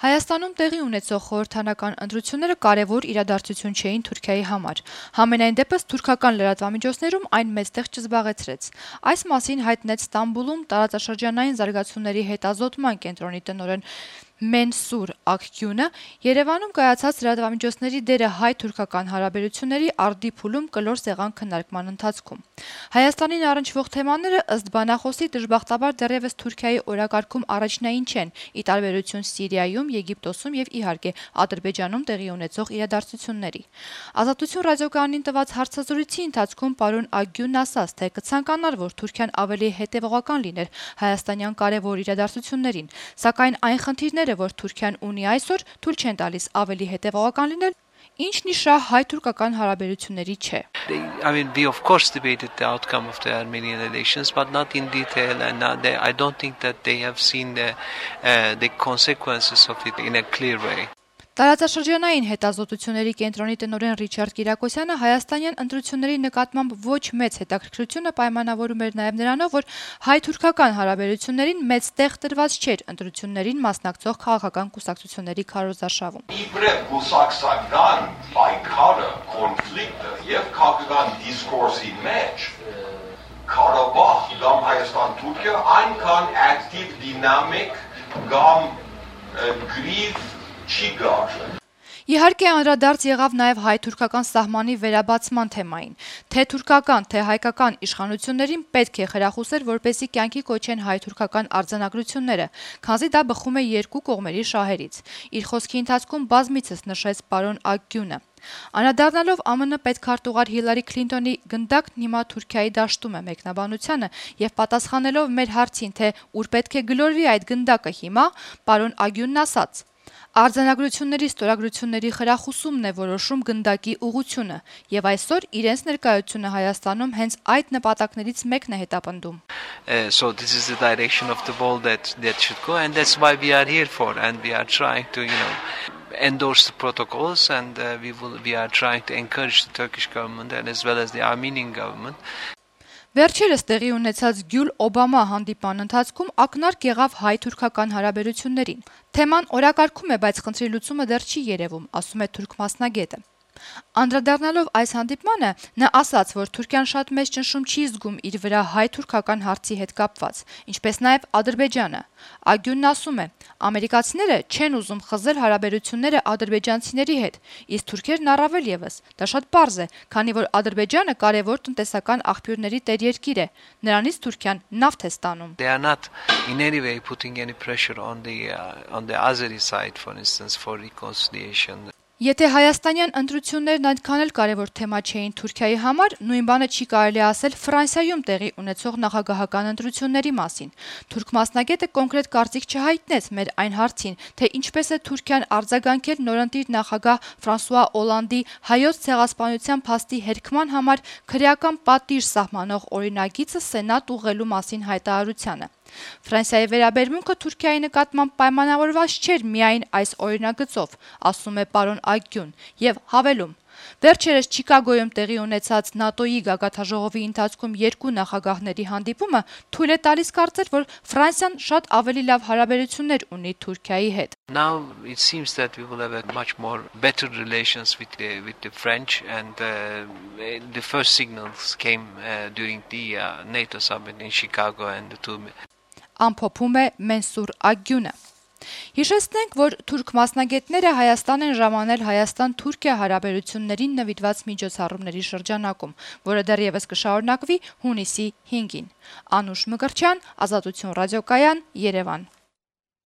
Հայաստանում տեղի ունեցող խորհրդանական ընտրությունները կարևոր իրադարձություն չէին Թուրքիայի համար։ Համենայն դեպս թուրքական լրատվամիջոցներում այն մեծ տեղ չզբաղեցրեց։ Այս մասին հայտնեց Ստամբուլում տարածաշրջանային զարգացումների հետազոտման կենտրոնի տնօրեն Մենսուր Ակգյունը Երևանում կայացած լրատվամիջոցների դերը հայ-թուրքական հարաբերությունների արդի փուլում կլոր սեղան քննարկման ընթացքում։ Հայաստանին առնչվող թեմաները ըստ բանախոսի դժբախտաբար դեռևս Թուրքիայի օրակարգում առաջնային չեն, ի տարբերություն Սիրիայում, Եգիպտոսում եւ իհարկե Ադրբեջանում տեղի ունեցող իրադարձությունների։ Ազատություն ռադիոկայանին տված հարցազրույցի ընթացքում պարոն Ակգյունն ասաց, թե կցանկանար, որ Թուրքիան ավելի հետեւողական լիներ հայաստանյան կարևոր իրադարձություններին, սակայն այն խնդիրները, որ Թուրքիան ունի այսօր, թույլ չեն տալիս ավելի հետեւողական լինել, ինչն ի շահ հայ-թուրքական հարաբերությունների չէ։ I mean, we of course debated the outcome of the Armenian elections, but not in detail, and I don't think that they have seen the consequences of it in a clear way. Տարածաշրջանային հետազոտությունների կենտրոնի տնօրեն Ռիչարդ Կիրակոսյանը հայաստանյան ընտրությունների նկատմամբ ոչ մեծ հետաքրքրությունը պայմանավորում էր նաև նրանով, որ հայ-թուրքական հարաբերություններին մեծ տեղ տրված չէր ընտրություններին մասնակցող քաղաքական կուսակցությունների քարոզարշավում։ Իբրև կուսակցական պայքարը, կոնֆլիկտը եւ քաղաքական դիսկուրսի մեջ Ղարաբաղ կամ Հայաստան-Թուրքիա այնքան ակտիվ, դինամիկ կամ գրիվ չի գար։ Իհարկե անդրադարձ եղավ նաև հայ-թուրքական սահմանի վերաբացման թեմային։ Թե թուրքական, թե հայկական իշխանություններին պետք է խրախուսել, որպեսզի կյանքի կոչեն հայ-թուրքական արձանագրությունները, քանզի դա բխում է երկու կողմերի շահերից։ Իր խոսքի ընթացքում բազմիցս նշեց պարոն Ակգյունը։ Անդրադառնալով ԱՄՆ պետքարտուղար Հիլարի Քլինտոնի գնդակն հիմա Թուրքիայի դաշտում է մեկնաբանությանը եւ պատասխանելով մեր հարցին, թե ուր պետք է գլորվի այդ գնդակը հիմա, պարոն Ակգյունն ասաց. Արձանագրությունների ստորագրությունների խրախուսումն է որոշում գնդակի ուղղությունը եւ այսօր իրենց ներկայությունը Հայաստանում հենց այդ նպատակներից մեկն է հետապնդում։ So this is the direction of the ball that should go, and that's why we are here for, and we are trying to, endorse the protocols, and we are trying to encourage the Turkish government and as well as the Armenian government. Վերջերս տեղի ունեցած Գյուլ-Օբամա հանդիպման ընթացքում ակնարկ եղավ հայ-թուրքական հարաբերություններին։ Թեման օրակարգում է, բայց խնդրի լուծումը դեռ չի երևում, ասում է թուրք մասնագետը։ Անդրադառնալով այս հանդիպմանը, նա ասաց, որ Թուրքիան շատ մեծ ճնշում չի զգում իր վրա հայ-թուրքական հարցի հետ կապված, ինչպես նաև Ադրբեջանը։ Ակգյունն ասում է. ամերիկացիները չեն ուզում խզել հարաբերությունները ադրբեջանցիների հետ, իսկ թուրքերն առավել եւս։ Դա շատ պարզ է, քանի որ Ադրբեջանը կարևոր տնտեսական աղբյուրների տերերկիր է, նրանից Թուրքիան նավթ է ստանում։ They are not in any way putting any pressure on the Azeri side, for instance, for reconciliation. Եթե հայաստանյան ընտրություններն այդքան էլ կարևոր թեմա չէին Թուրքիայի համար, նույն բանը չի կարելի ասել Ֆրանսիայում տեղի ունեցող նախագահական ընտրությունների մասին։ Թուրք մասնագետը կոնկրետ կարծիք չհայտնեց մեր այն հարցին, թե ինչպես է Թուրքիան արձագանքել նորընտիր նախագահ Ֆրանսուଆ Օլանդի հայոց ցեղասպանության փաստի հերքման համար քրեական պատիժ սահմանող օրինագիծը սենատ ուղղելու մասին հայտարարությանը։ Ֆրանսիայի վերաբերմունքը Թուրքիայի նկատմամբ պայմանավորված չէր միայն այս օրինագծով, ասում է պարոն Ակգյուն, եւ հավելում. Վերջերս Չիկագոյում տեղի ունեցած ՆԱՏՕ-ի գագաթաժողովի ընթացքում երկու նախագահների հանդիպումը թույլ է տալիս կարծել, որ Ֆրանսիան շատ ավելի լավ հարաբերություններ ունի Թուրքիայի հետ։ Now it seems that we will have a much more better relations with the French, and the first signals came during the NATO summit in Chicago, and the two Ամփոփում է Մենսուր Ակգյունը։ Հիշեցնենք, որ թուրք մասնագետները Հայաստան են ժամանել Հայաստան-Թուրքիա հարաբերություններին նվիրված միջոցառումների շրջանակում, որը դեռևս կշարունակվի հունիսի 5-ին։ Անուշ Մկրտչյան, Ազատություն ռադիոկայան, Երևան։